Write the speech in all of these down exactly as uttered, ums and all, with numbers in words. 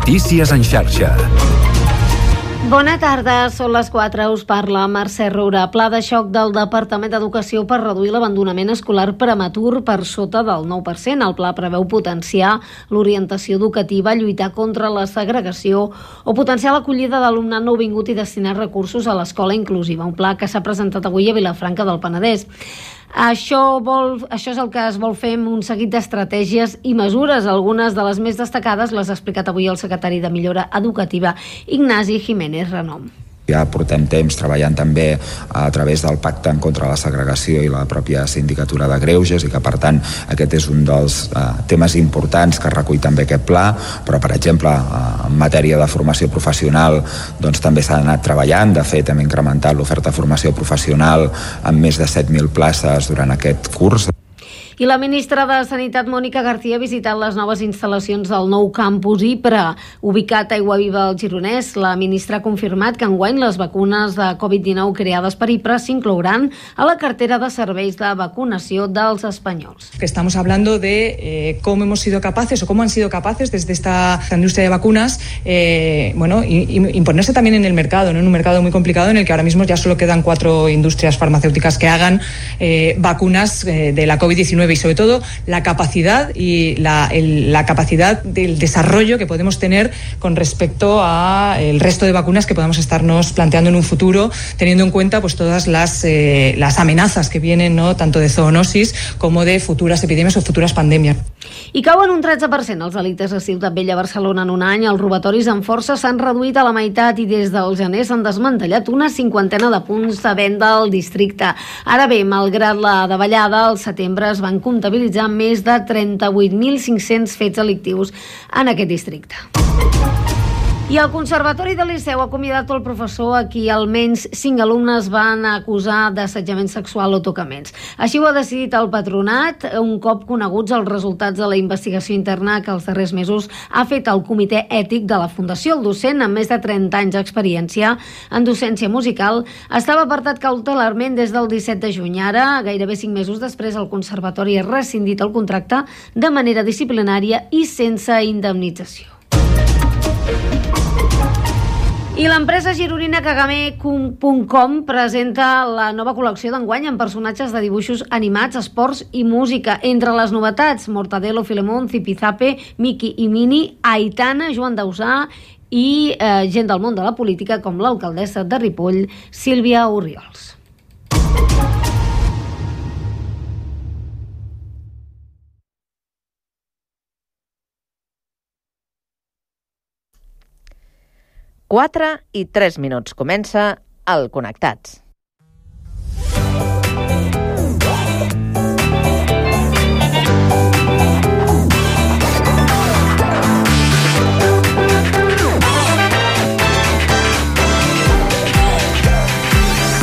Notícies en xarxa. Bona tarda, són les quatre, us parla Mercè Roura. Pla de xoc del Departament d'Educació per reduir l'abandonament escolar prematur per sota del nou per cent. El pla preveu potenciar l'orientació educativa, lluitar contra la segregació o potenciar l'acollida d'alumnat nouvingut i destinar recursos a l'escola inclusiva. Un pla que s'ha presentat avui a Vilafranca del Penedès. Això, vol, això és el que es vol fer amb un seguit d'estratègies i mesures. Algunes de les més destacades les ha explicat avui el secretari de Millora Educativa, Ignasi Jiménez Renom. Ja portem temps treballant també a través del Pacte en contra de la segregació i la pròpia Sindicatura de Greuges, i que per tant aquest és un dels eh, temes importants que recull també aquest pla. Però per exemple eh, en matèria de formació professional doncs també s'ha anat treballant. De fet hem incrementat l'oferta de formació professional amb més de set mil places durant aquest curs. I la ministra de Sanitat, Mònica García, ha visitat les noves instal·lacions del nou campus IPRA, ubicat a Aiguaviva al Gironès. La ministra ha confirmat que enguany les vacunes de covid dinou creades per IPRA s'inclouran a la cartera de serveis de vacunació dels espanyols. Que estamos hablando de eh, cómo hemos sido capaces o cómo han sido capaces desde esta industria de vacunas eh, bueno, y, y imponerse también en el mercado, ¿no? En un mercado muy complicado en el que ahora mismo ya solo quedan cuatro industrias farmacéuticas que hagan eh, vacunas eh, de la covid diecinueve. Y sobre todo la capacidad y la, el, la capacidad del desarrollo que podemos tener con respecto al resto de vacunas que podamos estarnos planteando en un futuro, teniendo en cuenta pues todas las, eh, las amenazas que vienen, ¿no? Tanto de zoonosis como de futuras epidemias o futuras pandemias. I cauen un tretze per cent els delictes a Ciutat Vella, Barcelona, en un any. Els robatoris amb força s'han reduït a la meitat i des del gener s'han desmantellat una cinquantena de punts de venda al districte. Ara bé, malgrat la davallada, al setembre es van comptabilitzar més de trenta-vuit mil cinc-cents fets delictius en aquest districte. I el Conservatori del Liceu ha acomiadat el professor a qui almenys cinc alumnes van acusar d'assetjament sexual o tocaments. Així ho ha decidit el patronat, un cop coneguts els resultats de la investigació interna que els darrers mesos ha fet el Comitè Ètic de la Fundació. El docent, amb més de trenta anys d'experiència en docència musical, estava apartat cautelarment des del disset de juny. Ara, gairebé cinc mesos després, el Conservatori ha rescindit el contracte de manera disciplinària i sense indemnització. I l'empresa gironina Kagame punt com presenta la nova col·lecció d'enguany amb personatges de dibuixos animats, esports i música. Entre les novetats, Mortadelo, Filemón, Zipizape, Mickey i Minnie, Aitana, Joan Dausà i eh, gent del món de la política com l'alcaldessa de Ripoll, Sílvia Orriols. quatre i tres minuts. Comença el Connectats.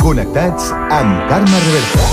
Connectats amb Carme Reverta.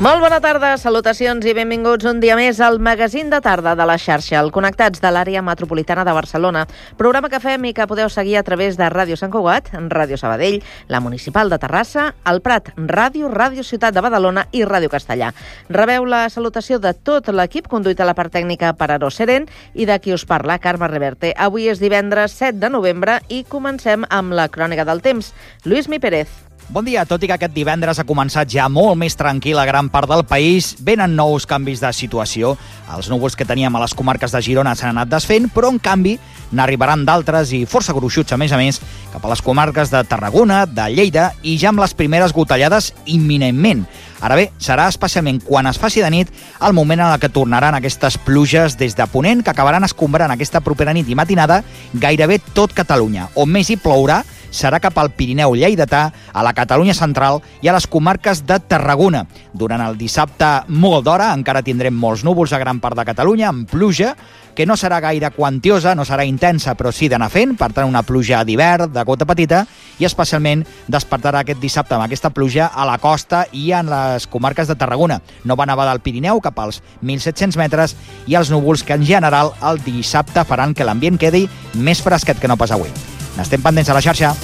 Molt bona tarda, salutacions i benvinguts un dia més al magazín de tarda de la xarxa, el Connectats de l'àrea metropolitana de Barcelona, programa que fem i que podeu seguir a través de Ràdio Sant Cugat, Ràdio Sabadell, la Municipal de Terrassa, el Prat Ràdio, Ràdio Ciutat de Badalona i Ràdio Castellà. Rebeu la salutació de tot l'equip conduït a la part tècnica per Aaró Seren i de qui us parla, Carme Reverte. Avui és divendres set de novembre i comencem amb la crònica del temps. Lluís Mi Pérez. Bon dia, tot i que aquest divendres ha començat ja molt més tranquil a gran part del país, venen nous canvis de situació. Els núvols que teníem a les comarques de Girona s'han anat desfent, però en canvi n'arribaran d'altres i força gruixuts, a més a més, cap a les comarques de Tarragona, de Lleida i ja amb les primeres gotellades imminentment. Ara bé, serà especialment quan es faci de nit el moment en el que tornaran aquestes pluges des de Ponent que acabaran escombrant aquesta propera nit i matinada gairebé tot Catalunya. On més hi plourà serà cap al Pirineu lleidatà, a la Catalunya central i a les comarques de Tarragona. Durant el dissabte, molt d'hora, encara tindrem molts núvols a gran part de Catalunya, amb pluja, que no serà gaire quantiosa, no serà intensa, però sí d'anar fent, per tant una pluja d'hivern, de gota petita, i especialment despertarà aquest dissabte amb aquesta pluja a la costa i en les comarques de Tarragona. Nova nevada al Pirineu, cap als mil set-cents metres, i els núvols que en general el dissabte faran que l'ambient quedi més fresquet que no pas avui. N'estem pendents a la xarxa.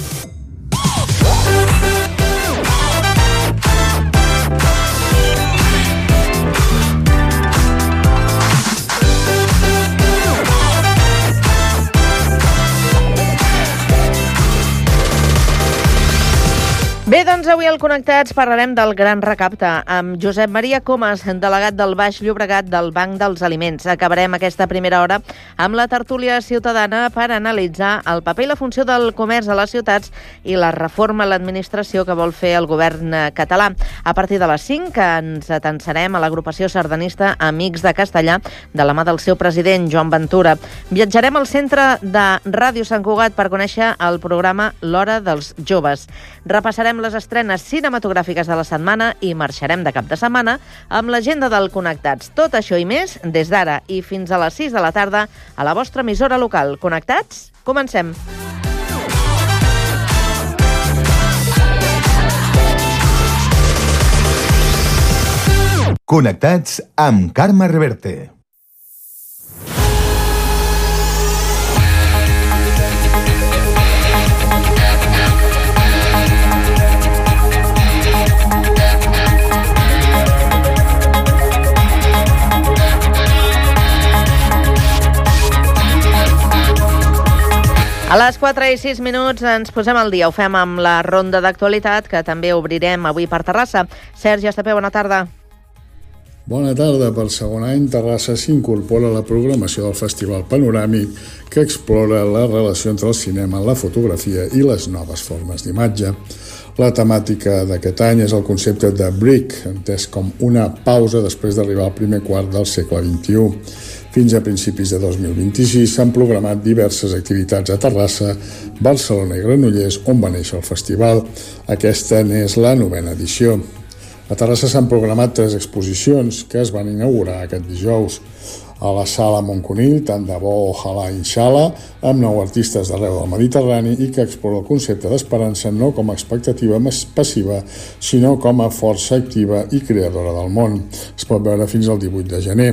Bé, doncs avui al Connectats parlarem del gran recapte amb Josep Maria Comas, delegat del Baix Llobregat del Banc dels Aliments. Acabarem aquesta primera hora amb la tertúlia ciutadana per analitzar el paper i la funció del comerç a les ciutats i la reforma a l'administració que vol fer el govern català. A partir de les cinc ens atensarem a l'agrupació sardanista Amics de Castellà de la mà del seu president, Joan Ventura. Viatjarem al centre de Ràdio Sant Cugat per conèixer el programa L'Hora dels Joves. Repassarem les estrenes cinematogràfiques de la setmana i marxarem de cap de setmana amb l'agenda del Connectats. Tot això i més des d'ara i fins a les sis de la tarda a la vostra emissora local. Connectats? Comencem! Connectats amb Carme Reverte. A les quatre i sis minuts ens posem al dia. Ho fem amb la ronda d'actualitat, que també obrirem avui per Terrassa. Sergi Estapé, bona tarda. Bona tarda. Per segon any, Terrassa s'incorpora a la programació del Festival Panoràmic, que explora la relació entre el cinema, la fotografia i les noves formes d'imatge. La temàtica d'aquest any és el concepte de break, entès com una pausa després d'arribar al primer quart del segle vint-i-u. Fins a principis de dos mil vint-i-sis s'han programat diverses activitats a Terrassa, Barcelona i Granollers, on va néixer el festival. Aquesta n'és la novena edició. A Terrassa s'han programat tres exposicions que es van inaugurar aquest dijous. A la Sala Montconill, tant de bo ojalà inshallah, amb nou artistes d'arreu del Mediterrani i que explora el concepte d'esperança no com a expectativa passiva, sinó com a força activa i creadora del món. Es pot veure fins al divuit de gener.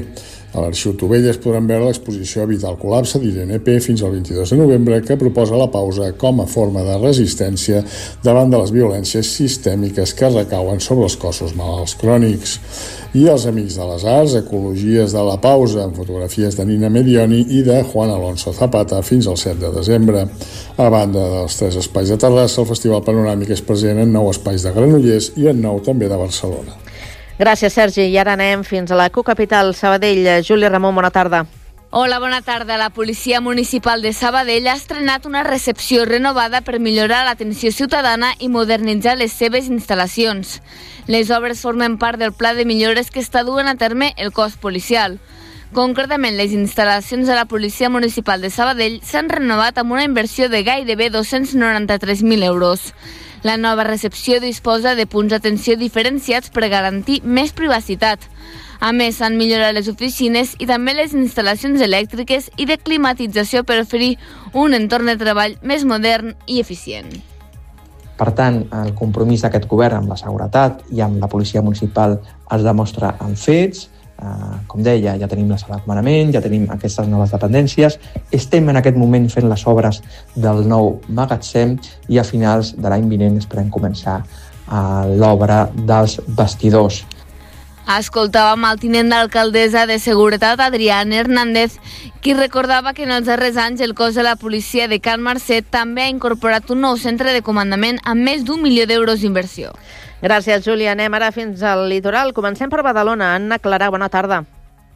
A l'Arxiu Tovelles podran veure l'exposició Evitar el col·lapse d'Irene P. fins al vint-i-dos de novembre, que proposa la pausa com a forma de resistència davant de les violències sistèmiques que recauen sobre els cossos malalts crònics. I els Amics de les Arts, Ecologies de la pausa, amb fotografies de Nina Medioni i de Juan Alonso Zapata fins al set de desembre. A banda dels tres espais de Terrassa, el Festival Panoràmic és present en nou espais de Granollers i en nou també de Barcelona. Gràcies, Sergi. I ara anem fins a la cocapital, Sabadell. Júlia Ramon, bona tarda. Hola, bona tarda. La Policia Municipal de Sabadell ha estrenat una recepció renovada per millorar l'atenció ciutadana i modernitzar les seves instal·lacions. Les obres formen part del pla de millores que està duent a terme el cos policial. Concretament, les instal·lacions de la Policia Municipal de Sabadell s'han renovat amb una inversió de gairebé dos-cents noranta-tres mil euros. La nova recepció disposa de punts d'atenció diferenciats per garantir més privacitat. A més, s'han millorat les oficines i també les instal·lacions elèctriques i de climatització per oferir un entorn de treball més modern i eficient. Per tant, el compromís d'aquest govern amb la seguretat i amb la policia municipal es demostra en fets. Uh, com deia, ja tenim la sala de comandament, ja tenim aquestes noves dependències, estem en aquest moment fent les obres del nou magatzem i a finals de l'any vinent esperem començar uh, l'obra dels vestidors. Escoltàvem el tinent d'alcaldessa de Seguretat, Adrián Hernández, qui recordava que en els darrers anys el cos de la policia de Can Marcet també ha incorporat un nou centre de comandament amb més d'un milió d'euros d'inversió. Gràcies, Júlia. Anem ara fins al litoral. Comencem per Badalona. Anna Clarà, bona tarda.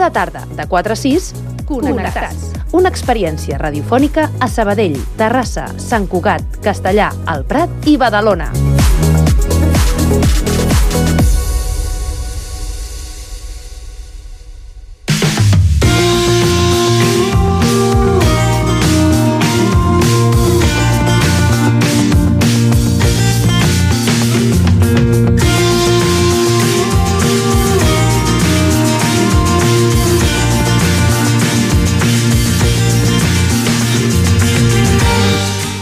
Cada tarda, de quatre a sis, Connectats. Una experiència radiofònica a Sabadell, Terrassa, Sant Cugat, Castellà, El Prat i Badalona.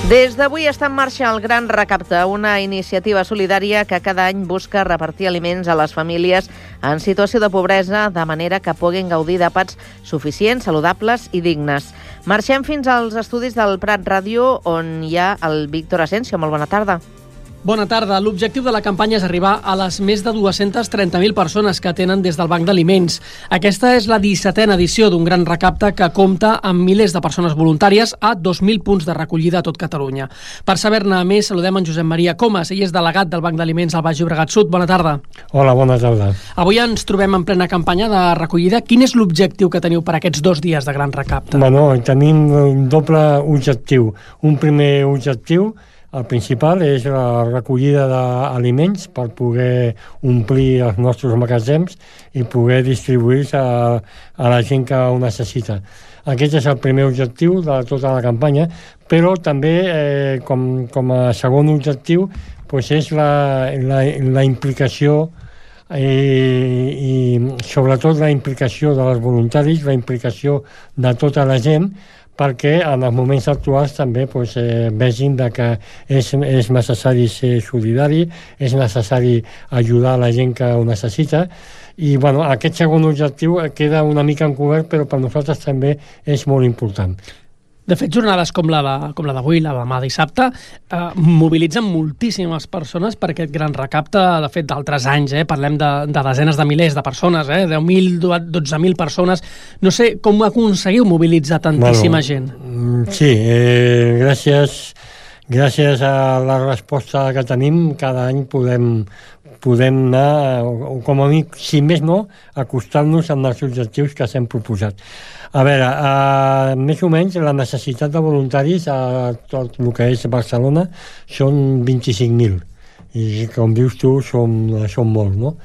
Des d'avui està en marxa el Gran Recapte, una iniciativa solidària que cada any busca repartir aliments a les famílies en situació de pobresa de manera que puguin gaudir d'àpats suficients, saludables i dignes. Marxem fins als estudis del Prat Ràdio, on hi ha el Víctor Asensio. Molt bona tarda. Bona tarda. L'objectiu de la campanya és arribar a les més de dues-centes trenta mil persones que atenen des del Banc d'Aliments. Aquesta és la dissetena edició d'un gran recapte que compta amb milers de persones voluntàries a dos mil punts de recollida a tot Catalunya. Per saber-ne més, saludem en Josep Maria Comas. Ell és delegat del Banc d'Aliments al Baix Llobregat Sud. Bona tarda. Hola, bona tarda. Avui ens trobem en plena campanya de recollida. Quin és l'objectiu que teniu per aquests dos dies de gran recapte? Bueno, tenim un doble objectiu. Un primer objectiu, el principal, és la recollida d'aliments per poder omplir els nostres magatzems i poder distribuir-se a, a la gent que ho necessita. Aquest és el primer objectiu de tota la campanya, però també, eh, com, com a segon objectiu, doncs és la, la, la implicació i, i sobretot la implicació dels voluntaris, la implicació de tota la gent, perquè en els moments actuals també doncs, eh, vegin de que és, és necessari ser solidari, és necessari ajudar a la gent que ho necessita, i bueno, aquest segon objectiu queda una mica encobert, però per nosaltres també és molt important. De fet, jornades com la de, com la d'avui, la de demà dissabte, eh, mobilitzen moltíssimes persones per aquest gran recapte. De fet, d'altres anys, eh, parlem de, de desenes de milers de persones, eh, deu mil, dotze mil persones. No sé com aconseguiu mobilitzar tantíssima bueno, gent. Sí, eh, gràcies, gràcies a la resposta que tenim, cada any podem podem anar, o com a mi, si més no, acostar-nos als objectius que s'hem proposat. A veure, eh, més o menys la necessitat de voluntaris a tot el que és Barcelona són vint-i-cinc mil, i com dius tu, són, són molts, no?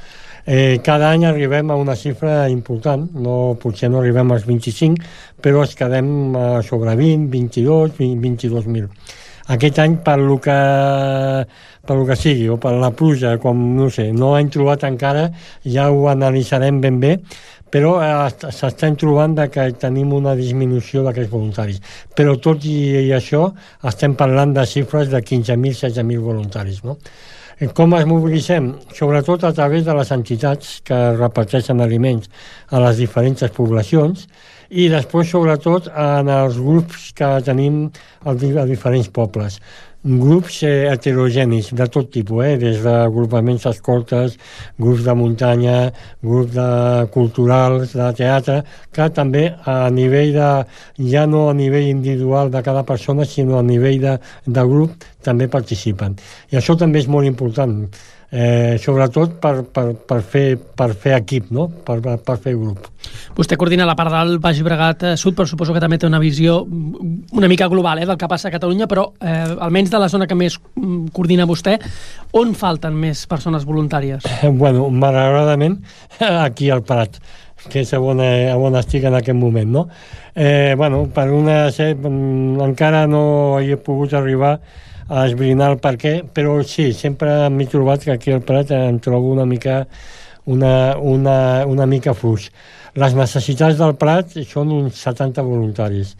Eh, cada any arribem a una xifra important, no, potser no arribem als vint-i-cinc, però es quedem a sobre vint, vint-i-dos, vint-i-dos mil. Aquest any, per lo que, per lo que sigui, o per la pluja, com no sé, no hem trobat encara, ja ho analitzarem ben bé, però eh, s'estan trobant de que tenim una disminució d'aquests voluntaris. Però tot i, i això, estem parlant de xifres de quinze mil, setze mil voluntaris, no? Com es mobilitzem? Sobretot a través de les entitats que reparteixen aliments a les diferents poblacions, i després, sobretot, en els grups que tenim a diferents pobles. Grups eh, heterogenis de tot tipus, eh? Des d'agrupaments escoltes, grups de muntanya, grups de culturals, de teatre, que també a nivell de, ja no a nivell individual de cada persona, sinó a nivell de, de grup, també participen. I això també és molt important, eh, sobretot per, per, per, fer, per fer equip, no? per, per fer grup. Vostè coordina la part del Baix Llobregat Sud, però suposo que també té una visió una mica global eh, del que passa a Catalunya, però eh, almenys de la zona que més coordina vostè, on falten més persones voluntàries? Bueno, malauradament, aquí al Prat, que és on, on estic en aquest moment, no? Eh, bueno, per una... encara no he pogut arribar a esbrinar el per què, però sí, sempre m'he trobat que aquí al Prat em trobo una mica una, una, una mica fluix. Les necessitats del Prat són uns setanta voluntaris,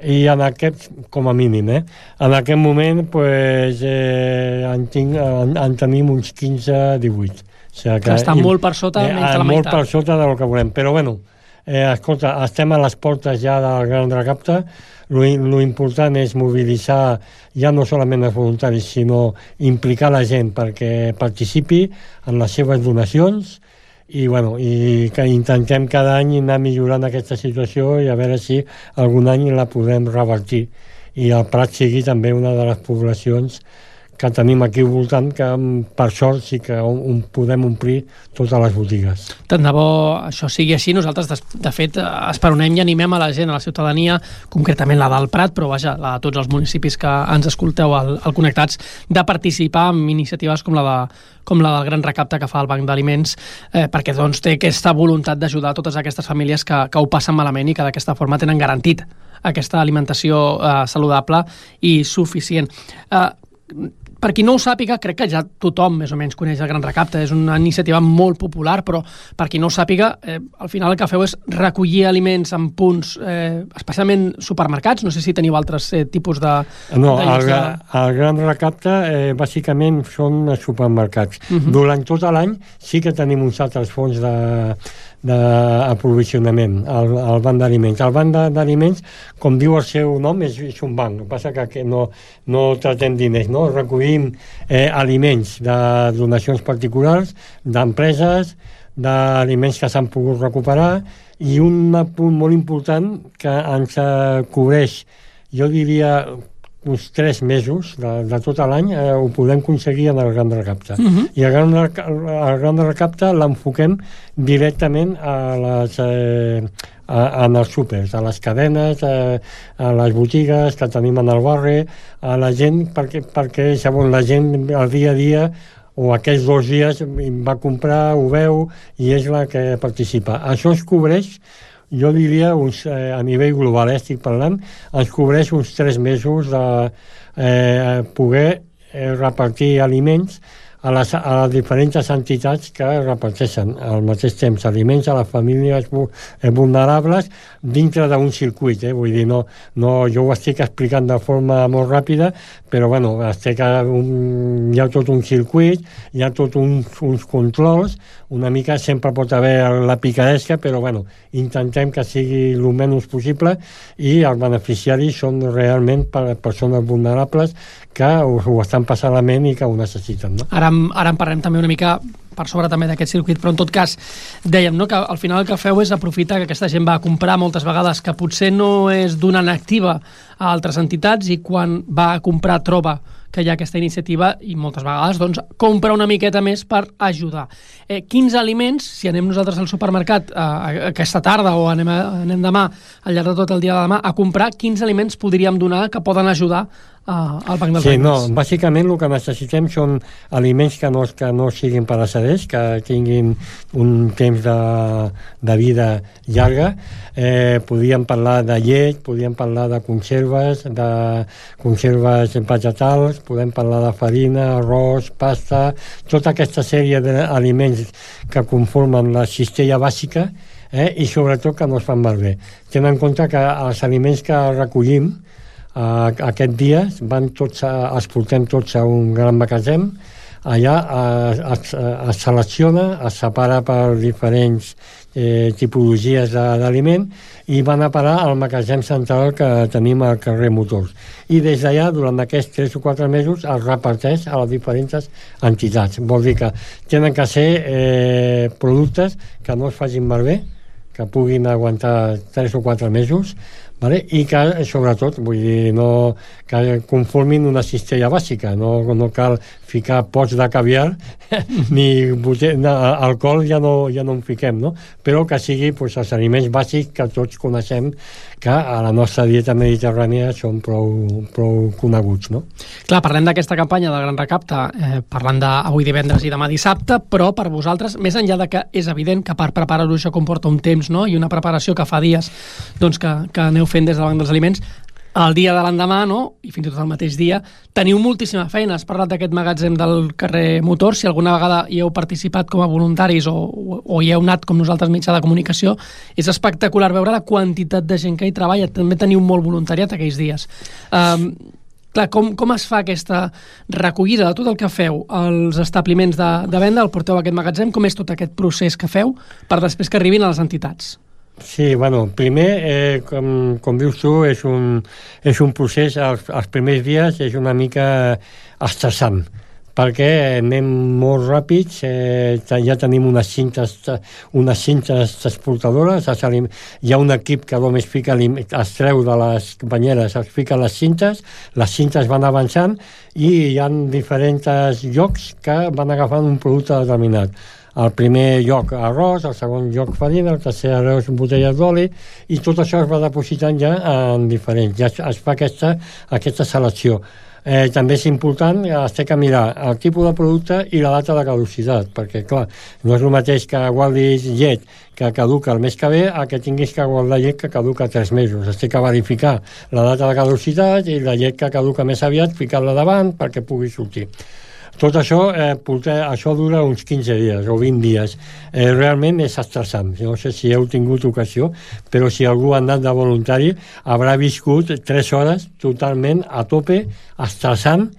i en aquest, com a mínim, eh? En aquest moment pues, eh, en, tinc, en, en tenim uns quinze a divuit. O sigui que, que està molt per sota, eh, menys de la molt meitat. Per sota del que volem, però bueno, eh, escolta, estem a les portes ja del Gran Recapte. Lo, lo important és mobilitzar ja no solament els voluntaris, sinó implicar la gent perquè participi en les seves donacions, i, bueno, i que intentem cada any anar millorant aquesta situació i a veure si algun any la podem revertir i el Prat sigui també una de les poblacions que tenim aquí al voltant, que per sort sí que un, podem omplir totes les botigues. Tant de bo això sigui així. Nosaltres, de, de fet, esperonem i animem a la gent, a la ciutadania, concretament la del Prat, però vaja, la de tots els municipis que ens escolteu al, al Connectats, de participar en iniciatives com la, de, com la del gran recapte que fa el Banc d'Aliments, eh, perquè doncs, té aquesta voluntat d'ajudar totes aquestes famílies que, que ho passen malament i que d'aquesta forma tenen garantit aquesta alimentació eh, saludable i suficient. Eh, per qui no ho sàpiga, crec que ja tothom més o menys coneix el Gran Recapte, és una iniciativa molt popular, però per qui no ho sàpiga, eh, al final el que feu és recollir aliments en punts, eh, especialment supermercats, no sé si teniu altres eh, tipus de... No, de el, el Gran Recapte eh, bàsicament són supermercats. Uh -huh. Durant tot l'any sí que tenim uns altres fons de d'aprovisionament al, al banc d'aliments. El banc d'aliments, com diu el seu nom, és, és un banc. El que passa que no, no tratem diners, no? Recollim eh, aliments de donacions particulars, d'empreses, d'aliments que s'han pogut recuperar, i un punt molt important que ens eh, cobreix, jo diria, uns tres mesos de, de tot l'any, eh, ho podem aconseguir en el Gran Recapte. Uh -huh. I el Gran, el Gran Recapte l'enfoquem directament a les, eh, a, en els súpers, a les cadenes, eh, a les botigues que tenim en el barri, a la gent, perquè, perquè segons la gent el dia a dia o aquests dos dies va comprar, ho veu, i és la que participa. Això es cobreix, jo diria, uns, eh, a nivell global, eh, estic parlant, ens cobreix uns tres mesos de eh, poder eh, repartir aliments a les, a les diferents entitats que reparteixen al mateix temps aliments a les famílies vulnerables dintre d'un circuit, eh? Vull dir, no, no, jo ho estic explicant de forma molt ràpida, però bueno, estic a un, hi ha tot un circuit, hi ha tot uns, uns controls, una mica sempre pot haver la picaresca, però bueno, intentem que sigui el menys possible, i els beneficiaris són realment per persones vulnerables que ho, ho estan passant malament i que ho necessiten, no? Ara, ara en parlem també una mica per sobre també d'aquest circuit, però en tot cas dèiem, no, que al final el que feu és aprofitar que aquesta gent va a comprar moltes vegades que potser no és donant activa a altres entitats, i quan va a comprar troba que hi ha aquesta iniciativa i moltes vegades doncs, compra una miqueta més per ajudar. Eh, quins aliments, si anem nosaltres al supermercat eh, aquesta tarda o anem, a, anem demà, al llarg de tot el dia de demà, a comprar, quins aliments podríem donar que poden ajudar eh, al Banc dels Sí, Aliments? no, bàsicament el que necessitem són aliments que no, que no siguin pereceders, que tinguin un temps de, de vida llarga. Eh, podríem parlar de llet, podríem parlar de conserves, de conserves vegetals, podem parlar de farina, arròs, pasta, tota aquesta sèrie d'aliments que conformen la cistella bàsica, eh, i sobretot que no es fan malbé. Tenint en compte que els aliments que recollim eh, aquest dia van tots a, els portem tots a un gran magatzem. Allà eh, es, es selecciona, es separa per diferents eh, tipologies d'aliment, i van a parar al magatzem central que tenim al carrer Motors. I des d'allà, durant aquests tres o quatre mesos, es reparteix a les diferents entitats. Vol dir que tenen que ser eh, productes que no es facin malbé, que puguin aguantar tres o quatre mesos, vale? I que, sobretot, vull dir, no, que conformin una cistella bàsica. No, no cal ficar pots de caviar, ni bote, no, alcohol ja no, ja no en fiquem, no? Però que sigui pues, els aliments bàsics que tots coneixem, que a la nostra dieta mediterrània són prou, prou coneguts, no? Clar, parlem d'aquesta campanya del Gran Recapte, eh, parlant d'avui divendres i demà dissabte, però per vosaltres, més enllà de que és evident que per preparar-ho això comporta un temps, no?, i una preparació que fa dies doncs, que, que aneu fent des del Banc dels Aliments, el dia de l'endemà, no?, i fins i tot el mateix dia, teniu moltíssima feina. Has parlat d'aquest magatzem del carrer Motor. Si alguna vegada hi heu participat com a voluntaris o, o, o hi heu anat com nosaltres mitjà de comunicació, és espectacular veure la quantitat de gent que hi treballa. També teniu molt voluntariat aquells dies. Um, clar, com, com es fa aquesta recollida de tot el que feu als establiments de, de venda? El porteu a aquest magatzem? Com és tot aquest procés que feu per després que arribin a les entitats? Sí, bueno, primer, eh, com, com dius tu, és un, és un procés, els, els primers dies és una mica estressant, perquè anem molt ràpids, eh, ja tenim unes cintes, unes cintes transportadores, hi ha un equip que només fica, es treu de les banyeres, es fica les cintes, les cintes van avançant i hi ha diferents llocs que van agafant un producte determinat. El primer lloc arròs, el segon lloc farina, el tercer arròs botelles d'oli, i tot això es va depositant ja en diferents, ja es fa aquesta, aquesta selecció. Eh, també és important, es té que mirar el tipus de producte i la data de caducitat, perquè clar, no és el mateix que guardis llet que caduca el mes que ve a que tinguis que guardar llet que caduca tres mesos. Es té que verificar la data de caducitat i la llet que caduca més aviat, ficar-la davant perquè pugui sortir. Tot això, eh, porter, això dura uns quinze dies o vint dies. Eh, realment és estressant. No sé si heu tingut ocasió, però si algú ha anat de voluntari haurà viscut tres hores totalment a tope, estressant,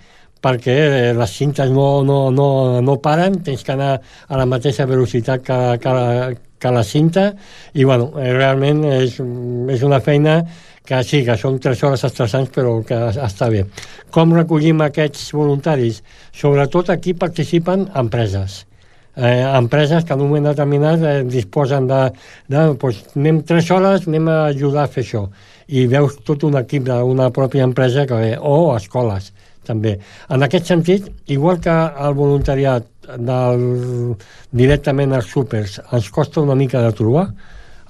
perquè eh, les cintes no, no, no, no paren, tens que anar a la mateixa velocitat que, que, que la cinta, i bueno, eh, realment és, és una feina que sí, que són tres hores estressants, però que està bé. Com recollim aquests voluntaris? Sobretot aquí participen empreses. Eh, empreses que en un moment determinat eh, disposen de, de doncs, anem tres hores, anem a ajudar a fer això. I veus tot un equip d'una pròpia empresa que ve, o escoles, també. En aquest sentit, igual que el voluntariat del, directament als súpers ens costa una mica de trobar,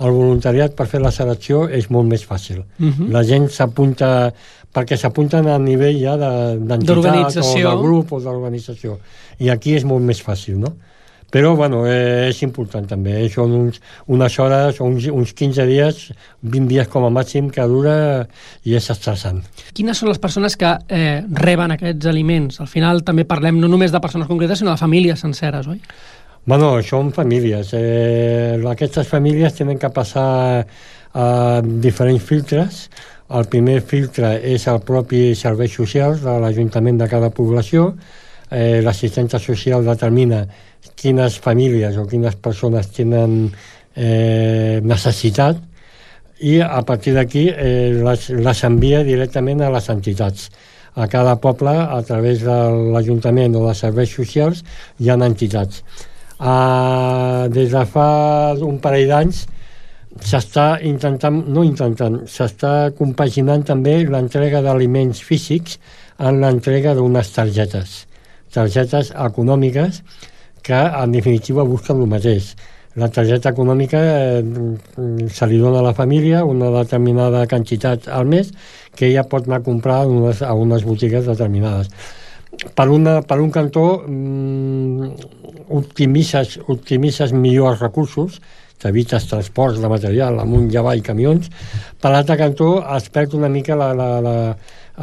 el voluntariat per fer la selecció és molt més fàcil. Uh-huh. La gent s'apunta, perquè s'apunten a nivell ja d'entitat o de grup o d'organització. I aquí és molt més fàcil, no? Però, bueno, eh, és important també. Eh? Són uns, unes hores, uns, uns quinze dies, vint dies com a màxim que dura i és estressant. Quines són les persones que eh, reben aquests aliments? Al final també parlem no només de persones concretes, sinó de famílies senceres, oi? Bueno, són famílies. Eh, aquestes famílies tenen que passar a diferents filtres. El primer filtre és el propi serveis socials de l'Ajuntament de cada població. Eh, l'assistència social determina quines famílies o quines persones tenen eh, necessitat i a partir d'aquí eh, les, les envia directament a les entitats. A cada poble, a través de l'Ajuntament o de serveis socials, hi ha entitats. Uh, des de fa un parell d'anys s'està intentant, no intentant, s'està compaginant també l'entrega d'aliments físics en l'entrega d'unes targetes, targetes econòmiques que en definitiva busquen el mateix. La targeta econòmica eh, se li dona a la família una determinada quantitat al mes que ella pot anar a comprar a unes, a unes botigues determinades. Per, una, per un cantó mmm, optimitzes, optimitzes millor els recursos, t'evites transports de material amunt i avall, camions. Per l'altre cantó es perd una mica la, la, la,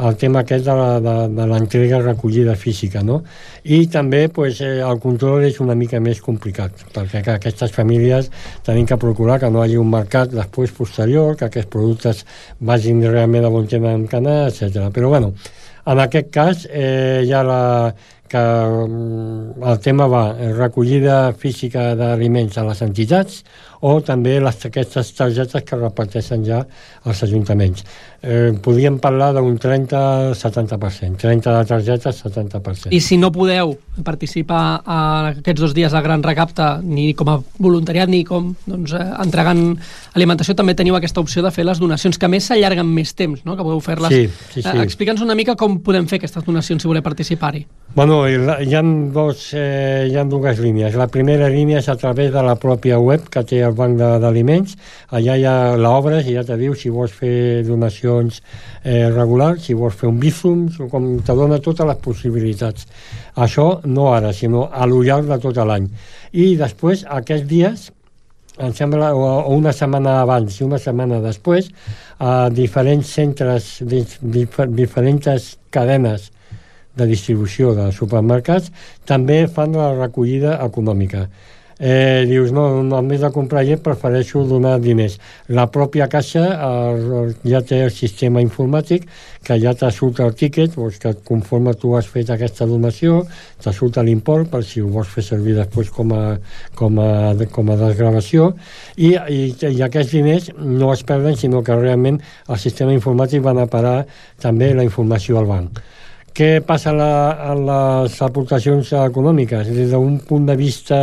el tema aquest de, la, de, de l'entrega recollida física, no? I també pues, eh, el control és una mica més complicat, perquè que aquestes famílies tenim que procurar que no hi hagi un mercat després posterior, que aquests productes vagin realment a on tenen que anar, etcètera. Però bueno, en aquest cas eh, hi ha la, que el tema va recollida física d'aliments a les entitats o també les, aquestes targetes que reparteixen ja als ajuntaments. Eh, podríem parlar d'un trenta a setanta per cent. trenta de targetes, setanta per cent. I si no podeu participar a aquests dos dies al Gran Recapte, ni com a voluntariat ni com doncs, eh, entregant alimentació, també teniu aquesta opció de fer les donacions, que a més s'allarguen més temps, no? Que podeu fer-les. Sí, sí, sí. Eh, Explica'ns una mica com podem fer aquestes donacions si voleu participar-hi. Bueno, hi ha, dos, eh, hi ha dues línies. La primera línia és a través de la pròpia web que té el Banc d'Aliments. Allà hi ha l'obres i ja te diu si vols fer donacions eh, regulars, si vols fer un bífum, com te dona totes les possibilitats. Això no ara, sinó a lo llarg de tot l'any. I després, aquests dies, em sembla, o una setmana abans i una setmana després, a diferents centres, dif diferents cadenes de distribució de supermercats també fan la recollida econòmica. Eh, dius, no, només de comprar llet prefereixo donar diners. La pròpia caixa eh, ja té el sistema informàtic que ja te surt el tíquet, doncs que conforme tu has fet aquesta donació te surt l'import per si ho vols fer servir després com a, com a, com a desgravació i, i, i aquests diners no es perden sinó que realment el sistema informàtic va anar a parar també la informació al banc. què passa a, la, a les aportacions econòmiques? Des d'un punt de vista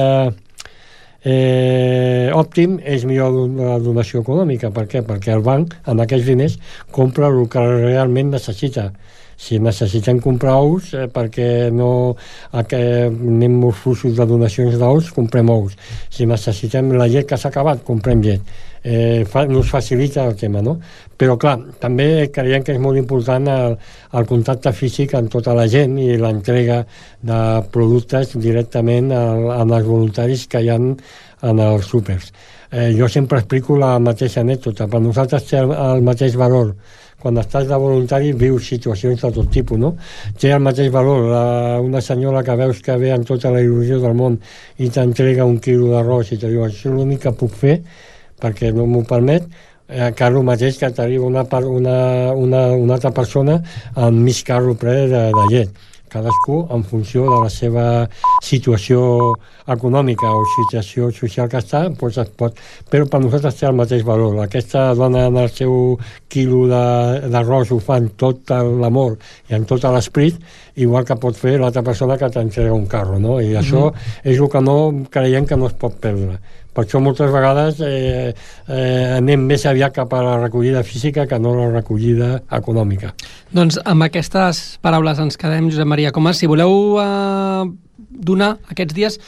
eh, òptim, és millor la donació econòmica. Per què? Perquè el banc, amb aquests diners, compra el que realment necessita. Si necessitem comprar ous, eh, perquè no eh, anem molts fluxos de donacions d'ous, comprem ous. Si necessitem la llet que s'ha acabat, comprem llet. Eh, fa, nos facilita el tema, no? Però clar, també creiem que és molt important el, el contacte físic amb tota la gent i l'entrega de productes directament al, als voluntaris que hi ha en els súpers. Eh, jo sempre explico la mateixa anècdota. Per nosaltres té el, el mateix valor. Quan estàs de voluntari vius situacions de tot tipus, no? Té el mateix valor la, una senyora que veus que ve amb tota la il·lusió del món i t'entrega un quilo d'arròs i te diu, això és l'únic que puc fer perquè no m'ho permet, eh, que el mateix que t'arriba una, una, una, una altra persona amb mig carro ple de, de llet. Cadascú en funció de la seva situació econòmica o situació social que està, doncs es pot... Però per nosaltres té el mateix valor. Aquesta dona en el seu quilo d'arròs ho fa amb tot l'amor i amb tot l'esprit, igual que pot fer l'altra persona que t'entrega un carro, no? I això mm-hmm. és el que no creiem que no es pot perdre. Per això moltes vegades eh, eh, anem més aviat cap a la recollida física que no la recollida econòmica. Doncs amb aquestes paraules ens quedem, Josep Maria Comas. Si voleu eh, donar aquests dies,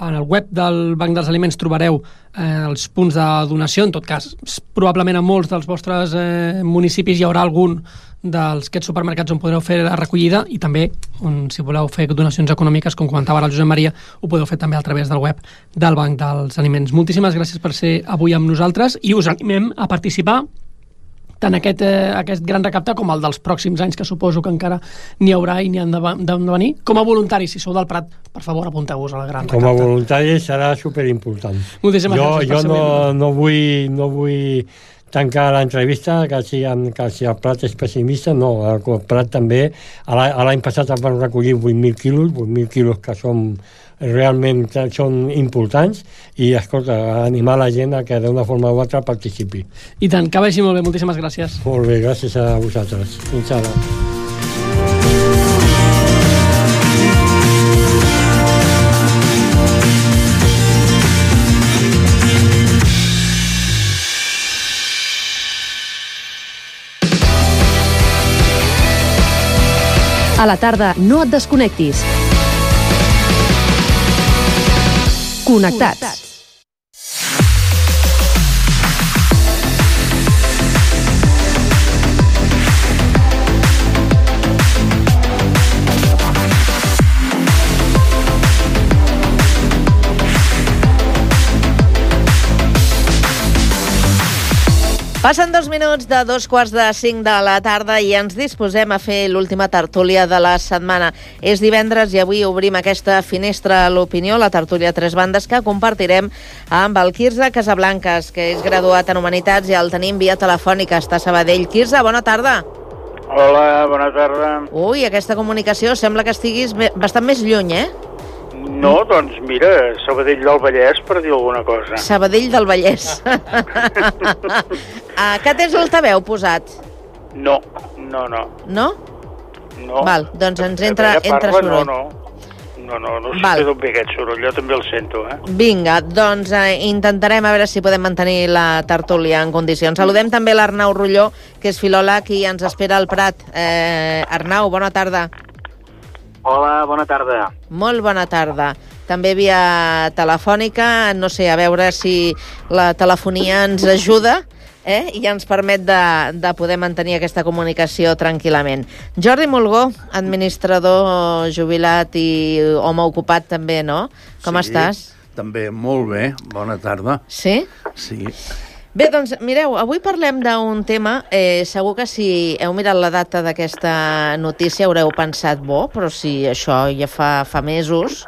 en el web del Banc dels Aliments trobareu eh, els punts de donació. En tot cas, probablement en molts dels vostres eh, municipis hi haurà algun dels aquests supermercats on podreu fer la recollida i també, on, si voleu fer donacions econòmiques, com comentava ara el Josep Maria, ho podeu fer també a través del web del Banc dels Aliments. Moltíssimes gràcies per ser avui amb nosaltres i us animem a participar tant aquest, eh, aquest gran recapte com el dels pròxims anys, que suposo que encara n'hi haurà i n'hi han de, de venir. Com a voluntaris, si sou del Prat, per favor, apunteu-vos a la gran recapte. Com a voluntaris serà superimportant. Moltíssimes jo, gràcies per jo ser no, membre. no vull... No vull tancar l'entrevista, que si, que si el Prat és pessimista, no, el Prat també, l'any passat es van recollir vuit mil quilos, vuit mil quilos que són realment són importants i, escolta, animar la gent a que d'una forma o altra participi. I tant, que vagi molt bé, moltíssimes gràcies. Molt bé, gràcies a vosaltres. Fins ara. A la tarda, no et desconnectis. Connectats. Passen dos minuts de dos quarts de cinc de la tarda i ens disposem a fer l'última tertúlia de la setmana. És divendres i avui obrim aquesta finestra a l'opinió, la tertúlia Tres Bandes, que compartirem amb el Quirze Casablancas, que és graduat en Humanitats i el tenim via telefònica. Està a Sabadell. Quirze, bona tarda. Hola, bona tarda. Ui, aquesta comunicació sembla que estiguis bastant més lluny, eh? No, doncs mira, Sabadell del Vallès, per dir alguna cosa. Sabadell del Vallès. ah, que tens l'altaveu posat? No, no, no. No? No. Val, doncs ens entra, entra soroll. No, no, no, no, no sé Val. d'on ve aquest soroll, jo també el sento, eh? Vinga, doncs eh, intentarem a veure si podem mantenir la tertúlia en condicions. Saludem també l'Arnau Rulló, que és filòleg i ens espera al Prat. Eh, Arnau, bona tarda. Hola, bona tarda. Molt bona tarda. També via telefònica, no sé, a veure si la telefonia ens ajuda eh? i ens permet de, de poder mantenir aquesta comunicació tranquil·lament. Jordi Mulgó, administrador jubilat i home ocupat també, no? Com sí, estàs? També molt bé, bona tarda. Sí? Sí. Bé, doncs, mireu, avui parlem d'un tema, eh, segur que si heu mirat la data d'aquesta notícia haureu pensat, bo, però si això ja fa, fa mesos,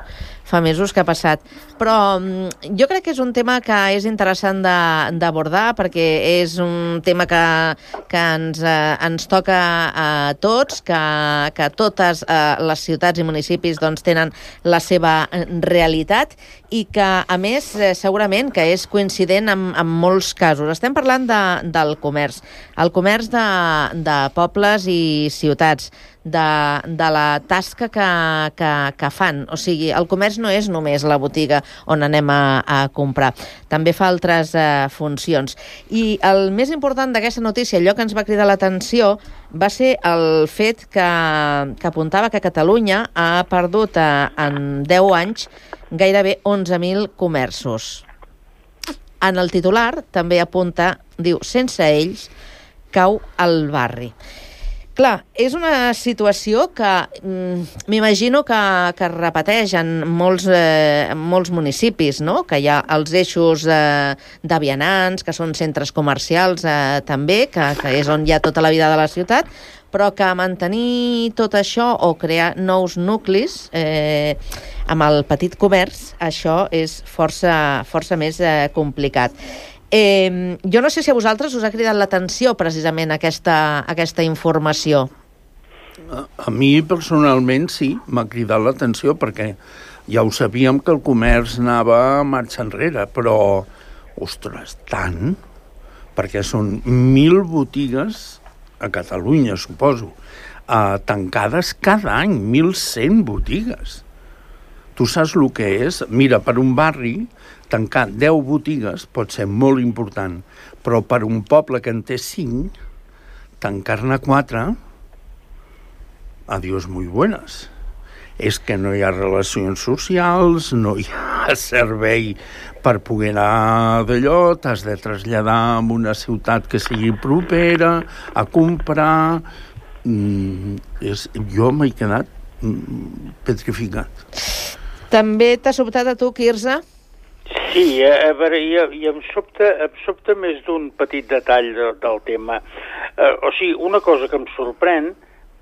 fa mesos que ha passat. Però jo crec que és un tema que és interessant d'abordar perquè és un tema que, que ens, eh, ens toca a tots, que, que totes eh, les ciutats i municipis doncs, tenen la seva realitat i que, a més, eh, segurament que és coincident en, en molts casos. Estem parlant de, del comerç, el comerç de, de pobles i ciutats, de, de la tasca que, que, que fan. O sigui, el comerç no és només la botiga on anem a, a comprar. També fa altres eh, funcions. I el més important d'aquesta notícia, allò que ens va cridar l'atenció, va ser el fet que, que apuntava que Catalunya ha perdut eh, en deu anys gairebé onze mil comerços. En el titular també apunta, diu, sense ells cau el barri. Clar, és una situació que mm, m'imagino que, que es repeteix en molts, eh, molts municipis, no? Que hi ha els eixos eh, de vianants, que són centres comercials eh, també, que, que és on hi ha tota la vida de la ciutat, però que mantenir tot això o crear nous nuclis eh, amb el petit comerç, això és força, força més eh, complicat. Eh, jo no sé si a vosaltres us ha cridat l'atenció precisament aquesta, aquesta informació. A, a mi personalment sí, m'ha cridat l'atenció perquè ja ho sabíem que el comerç anava a marxa enrere, però, ostres, tant, perquè són mil botigues a Catalunya, suposo, eh, tancades cada any, mil cent botigues. Tu saps el que és? Mira, per un barri tancar deu botigues pot ser molt important, però per un poble que en té cinc, tancar-ne quatre, adiós muy buenas. És que no hi ha relacions socials, no hi ha servei per poder anar d'allò, t'has de traslladar a una ciutat que sigui propera, a comprar... Mm, és, jo m'he quedat mm, petrificat. També t'ha sobtat a tu, Quirze? Sí, a veure, i, i em, sobta, em sobta més d'un petit detall de, del tema. Uh, o sigui, una cosa que em sorprèn,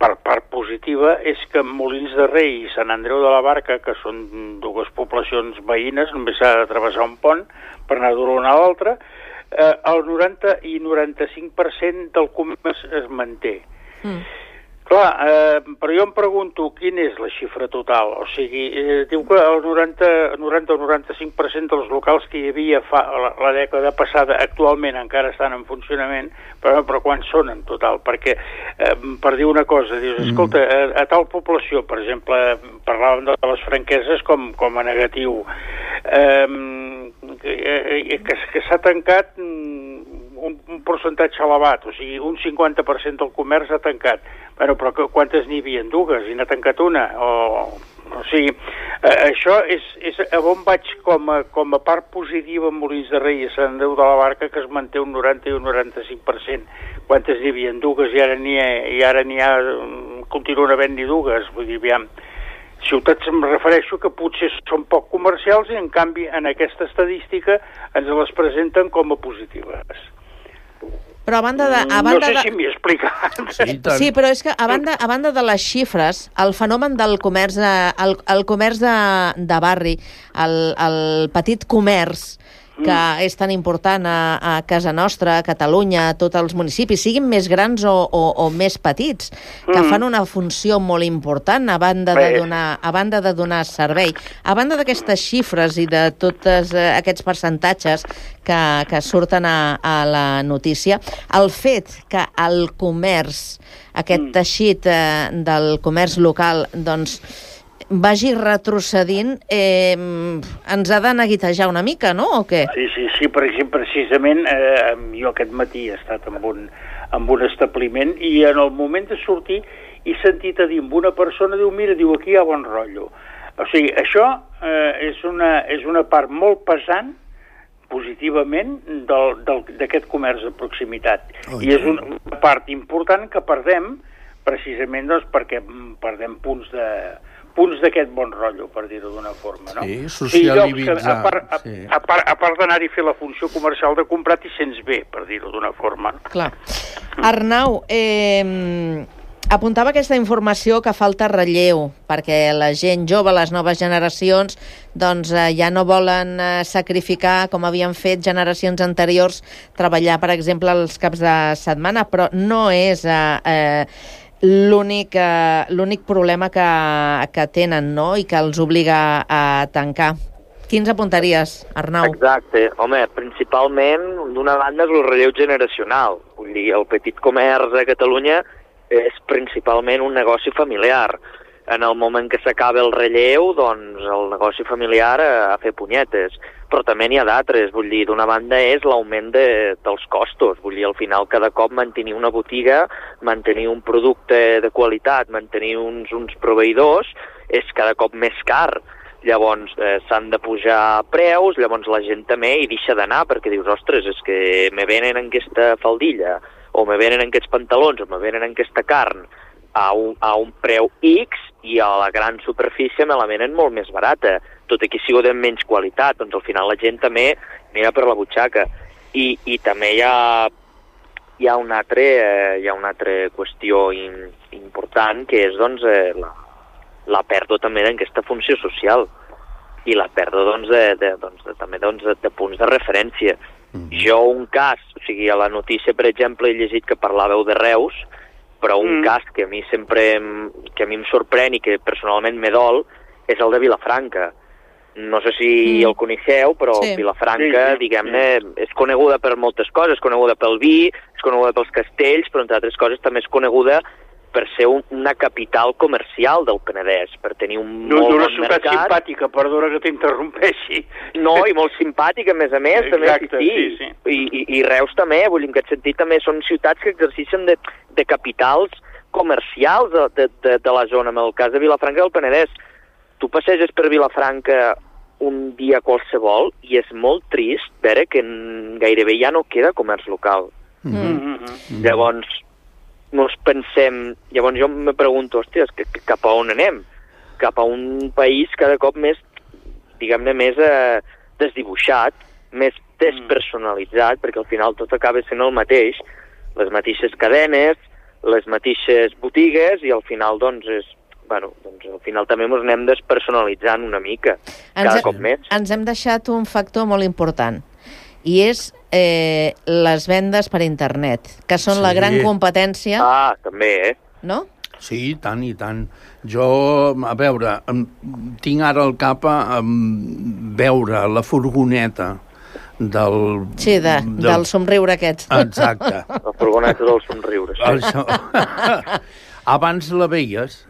per part positiva, és que Molins de Rei i Sant Andreu de la Barca, que són dues poblacions veïnes, només s'ha de travessar un pont per anar d'una a una a l'altra, uh, el noranta i noranta-cinc per cent del comerç es manté. Mm. Clar, eh, però jo em pregunto quina és la xifra total. O sigui, eh, diu que el noranta o noranta-cinc per cent dels locals que hi havia fa la, la dècada passada actualment encara estan en funcionament, però, però quan són en total? Perquè, eh, per dir una cosa, dius, escolta, a, a tal població, per exemple, parlàvem de les franqueses com, com a negatiu, eh, que, que, que s'ha tancat un, un percentatge elevat, o sigui, un cinquanta per cent del comerç ha tancat. Bueno, però quantes n'hi havia? Dues, i n'ha tancat una? O, o sigui, eh, això és, és a on vaig com a, com a part positiva en Molins de Rei i Sant Andreu de la Barca, que es manté un noranta i un noranta-cinc per cent. Quantes n'hi havia? Dues, i ara n'hi ha, i ara n'hi ha, continuen havent-n'hi dues. Vull dir, aviam, ciutats em refereixo que potser són poc comercials i en canvi en aquesta estadística ens les presenten com a positives. Però a banda de... A banda no sé de... si m'hi he explicat. Sí, sí, però és que a banda, a banda de les xifres, el fenomen del comerç, el, el comerç de, de barri, el, el petit comerç, que mm. és tan important a, a casa nostra, a Catalunya, a tots els municipis, siguin més grans o, o, o més petits, que mm. fan una funció molt important a banda de donar, a banda de donar servei. A banda d'aquestes xifres i de tots eh, aquests percentatges que, que surten a, a la notícia, el fet que el comerç, aquest mm. teixit eh, del comerç local, doncs, vagi retrocedint, eh, ens ha de neguitejar una mica, no? O què? Sí, sí, sí, per exemple, precisament eh, jo aquest matí he estat en un, en un establiment i en el moment de sortir he sentit a dir amb una persona, diu, mira, diu, aquí hi ha bon rotllo. O sigui, això eh, és, una, és una part molt pesant positivament d'aquest comerç de proximitat. Oh, I és una part important que perdem precisament doncs, perquè perdem punts de punts d'aquest bon rotllo, per dir-ho d'una forma, no? Sí, socialitzar. Sí, a part, a, sí. a part, a part d'anar-hi a fer la funció comercial de comprar, t'hi sents bé, per dir-ho d'una forma. Clar. Arnau, eh, apuntava aquesta informació que falta relleu, perquè la gent jove, les noves generacions, doncs eh, ja no volen eh, sacrificar, com havien fet generacions anteriors, treballar, per exemple, els caps de setmana, però no és eh, eh, l'únic eh, l'únic problema que, que tenen, no?, i que els obliga a tancar. Quins apuntaries, Arnau? Exacte. Home, principalment, d'una banda, és el relleu generacional. Vull dir, el petit comerç a Catalunya és principalment un negoci familiar. En el moment que s'acaba el relleu, doncs el negoci familiar a, a fer punyetes. Però també n'hi ha d'altres. Vull dir, d'una banda és l'augment de, dels costos. Vull dir, al final, cada cop mantenir una botiga, mantenir un producte de qualitat, mantenir uns, uns proveïdors, és cada cop més car. Llavors eh, s'han de pujar preus, llavors la gent també hi deixa d'anar perquè dius, ostres, és que me venen aquesta faldilla, o me venen aquests pantalons, o me venen aquesta carn a un, a un preu X i a la gran superfície me la venen molt més barata, tot i que sigui de menys qualitat, doncs al final la gent també mira per la butxaca. I, i també hi ha, hi ha, una altra, eh, hi ha una altra qüestió in, important, que és doncs, eh, la, la pèrdua també d'aquesta funció social i la pèrdua doncs, de, de, doncs, de, també doncs, de, de punts de referència. Mm-hmm. Jo un cas, o sigui, a la notícia, per exemple, he llegit que parlàveu de Reus, però un mm. cas que a mi sempre que a mi em sorprèn i que personalment me dol és el de Vilafranca. No sé si mm. el coneixeu, però sí. Vilafranca, sí, sí, diguem-ne, sí. és coneguda per moltes coses, és coneguda pel vi, és coneguda pels castells, però entre altres coses també és coneguda per ser un, una capital comercial del Penedès, per tenir un no, molt una bon ciutat mercat. simpàtica, perdona que t'interrompeixi. No, i molt simpàtica, a més a més, també, exacte, sí, sí. sí, sí. I, i, I Reus també, vull dir, en aquest sentit també són ciutats que exerceixen de, de capitals comercials de, de, de, de la zona. En el cas de Vilafranca del Penedès, tu passeges per Vilafranca un dia qualsevol i és molt trist veure que gairebé ja no queda comerç local. Mm-hmm. Mm-hmm. Llavors, no ens pensem... Llavors jo me pregunto, hòstia, que, que cap a on anem? Cap a un país cada cop més, diguem-ne, més eh, desdibuixat, més despersonalitzat, perquè al final tot acaba sent el mateix, les mateixes cadenes, les mateixes botigues, i al final, doncs, és... Bueno, doncs al final també ens anem despersonalitzant una mica, ens cada he, cop més. Ens hem deixat un factor molt important, i és eh, les vendes per internet, que són sí. la gran competència. Ah, també, eh? No? Sí, i tant, i tant. Jo, a veure, tinc ara al cap a veure la furgoneta del... Sí, de, del... del somriure aquest. Exacte. La furgoneta del somriure, sí. Això... Abans la veies,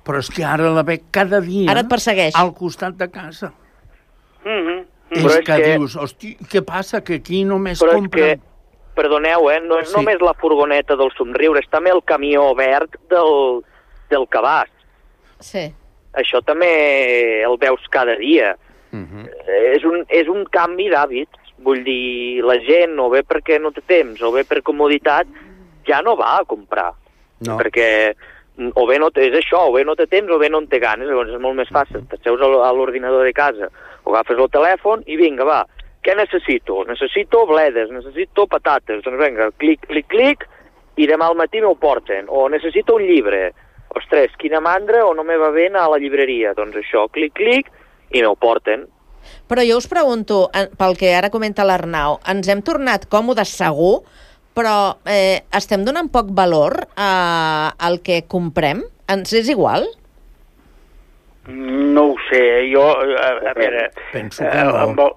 però és que ara la veig cada dia... Ara et persegueix. Al costat de casa. Mm-hmm. És, Però és és que, que dius, hosti, què passa? Que aquí només Però compren... és que, perdoneu, eh, no és Sí. només la furgoneta del somriure, és també el camió verd del, del cabàs. Sí. Això també el veus cada dia. Uh-huh. És un, és un canvi d'hàbits. Vull dir, la gent, o bé perquè no té temps, o bé per comoditat, ja no va a comprar. No. Perquè o bé no té, és això, o bé no té temps o bé no en té ganes, llavors és molt més fàcil. T'asseus a l'ordinador de casa, o agafes el telèfon i vinga, va, què necessito? Necessito bledes, necessito patates, doncs vinga, clic, clic, clic, i demà al matí m'ho porten. O necessito un llibre. Ostres, quina mandra, o no me va bé anar a la llibreria. Doncs això, clic, clic, i m'ho porten. Però jo us pregunto, pel que ara comenta l'Arnau, ens hem tornat còmodes segur, però eh, estem donant poc valor a, al que comprem? Ens és igual? No ho sé, jo, a, a veure, Penso que eh, no. amb, el,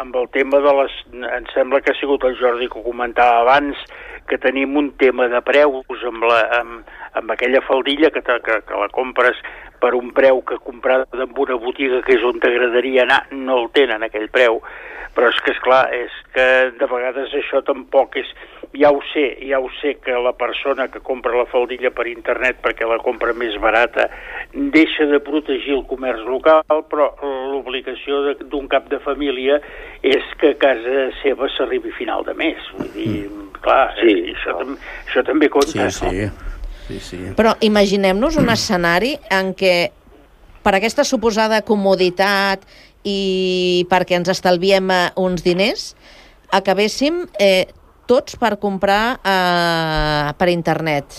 amb el tema de les... Em sembla que ha sigut el Jordi que ho comentava abans, que tenim un tema de preus amb, la, amb, amb aquella faldilla que, te, que, que la compres per un preu que comprada en una botiga que és on t'agradaria anar, no el tenen aquell preu. Però és que, esclar, és que de vegades això tampoc és... Ja ho sé, ja ho sé que la persona que compra la faldilla per internet perquè la compra més barata deixa de protegir el comerç local, però l'obligació d'un cap de família és que a casa seva s'arribi a final de mes. Vull dir, mm. clar, sí, eh, això, tam això també compta. Sí, sí. sí, sí. Però imaginem-nos un escenari en què per aquesta suposada comoditat i perquè ens estalviem uns diners, acabéssim eh, tots per comprar eh, per internet.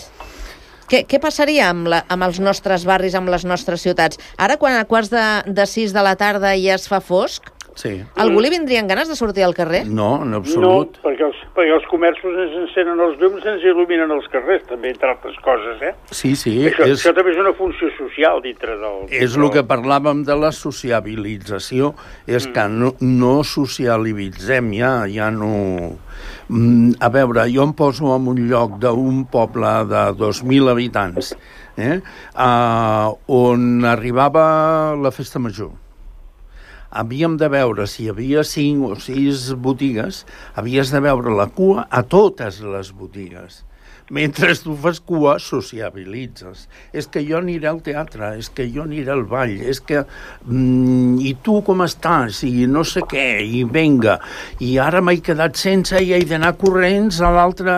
què, què passaria amb, la, amb els nostres barris, amb les nostres ciutats? Ara, quan a quarts de, de sis de la tarda ja es fa fosc, sí. algú li vindrien ganes de sortir al carrer? No, en absolut. No, perquè els, perquè els comerços ens encenen els llums, ens il·luminen els carrers, també, entre altres coses, eh? Sí, sí. Això, és... això també és una funció social dintre del... És el que parlàvem de la sociabilització, és mm. que no, no socialitzem ja, ja no... A veure, jo em poso en un lloc d'un poble de dos mil habitants, eh? uh, on arribava la festa major. Havíem de veure si hi havia cinc o sis botigues, havies de veure la cua a totes les botigues. Mentre tu fas cua, sociabilitzes. És que jo aniré al teatre, és que jo aniré al ball, és que... Mm, I tu com estàs? I no sé què, i venga. I ara m'he quedat sense i he d'anar corrents a l'altre...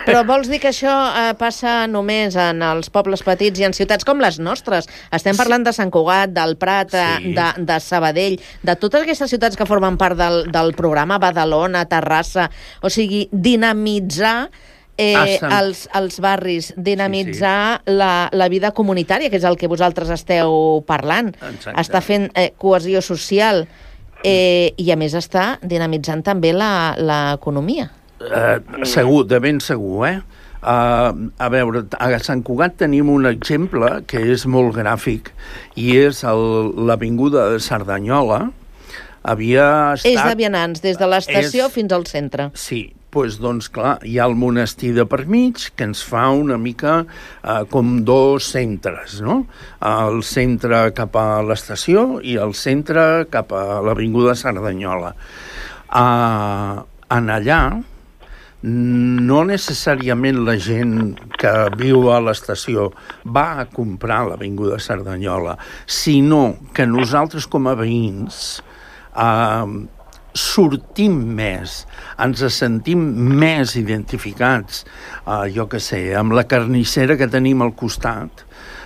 Però vols dir que això eh, passa només en els pobles petits i en ciutats com les nostres? Estem parlant de Sant Cugat, del Prat, sí. de, de Sabadell, de totes aquestes ciutats que formen part del, del programa, Badalona, Terrassa... O sigui, dinamitzar... Eh, els, els barris, dinamitzar sí, sí. La, la vida comunitària, que és el que vosaltres esteu parlant. Exacte. Està fent eh, cohesió social eh, i, a més, està dinamitzant també l'economia. Eh, segur, de ben segur, eh? Uh, a veure, a Sant Cugat tenim un exemple que és molt gràfic i és l'Avinguda de Cerdanyola. Havia estat... És de vianants, des de l'estació és... fins al centre. Sí, pues, doncs clar, hi ha el monestir de per mig que ens fa una mica eh, com dos centres, no? El centre cap a l'estació i el centre cap a l'Avinguda Cerdanyola. Uh, en allà, no necessàriament la gent que viu a l'estació va a comprar l'Avinguda Cerdanyola, sinó que nosaltres com a veïns uh, sortim més, ens sentim més identificats, uh, jo què sé, amb la carnissera que tenim al costat,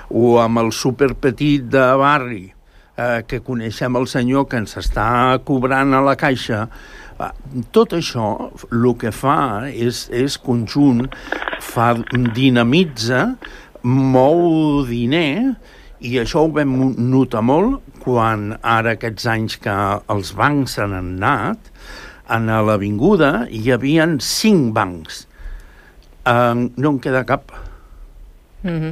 o amb el superpetit de barri, uh, que coneixem el senyor que ens està cobrant a la caixa. Uh, tot això, el que fa és, és conjunt, fa, dinamitza, mou diner, i això ho vam notar molt quan ara aquests anys que els bancs han anat, a l'avinguda hi havia cinc bancs. Uh, no en queda cap. Mm-hmm.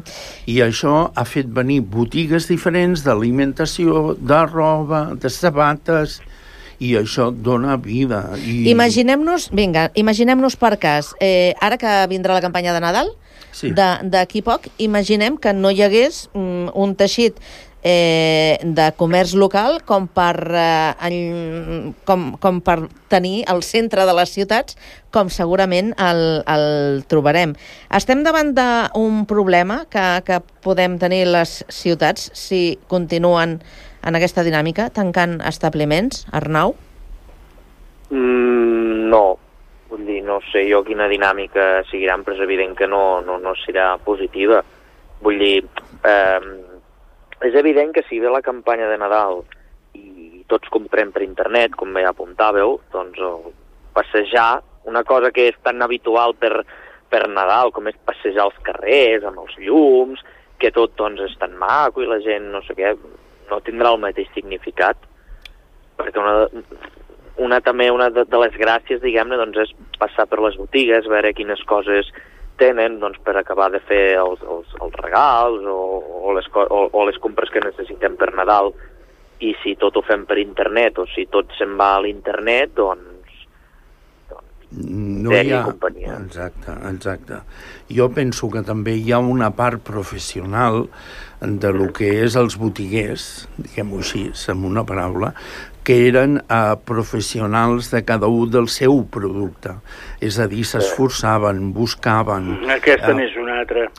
I això ha fet venir botigues diferents d'alimentació, de roba, de sabates, i això dona vida. I... Imaginem-nos, vinga, imaginem-nos per cas, eh, ara que vindrà la campanya de Nadal, sí. d'aquí poc, imaginem que no hi hagués mm, un teixit eh, de comerç local com per, eh, com, com per tenir el centre de les ciutats, com segurament el, el trobarem. Estem davant d'un problema que, que podem tenir les ciutats si continuen en aquesta dinàmica, tancant establiments, Arnau? Mm, no. Vull dir, no sé jo quina dinàmica seguiran, però és evident que no, no, no serà positiva. Vull dir, eh, és evident que si ve la campanya de Nadal i tots comprem per internet, com bé apuntàveu, doncs passejar, una cosa que és tan habitual per, per Nadal, com és passejar als carrers, amb els llums, que tot doncs, és tan maco i la gent, no sé què, no tindrà el mateix significat, perquè una, una també una de, de les gràcies, diguem-ne, doncs és passar per les botigues, veure quines coses tenen doncs, per acabar de fer els, els, els regals o, o, les, o, o les compres que necessitem per Nadal, i si tot ho fem per internet o si tot se'n va a l'internet, doncs no hi ha... companyia. Exacte, exacte. Jo penso que també hi ha una part professional de lo que és els botiguers, diguem-ho així, amb una paraula, que eren uh, professionals de cada un del seu producte. És a dir, s'esforçaven, buscaven... Aquesta uh, n'és una altra.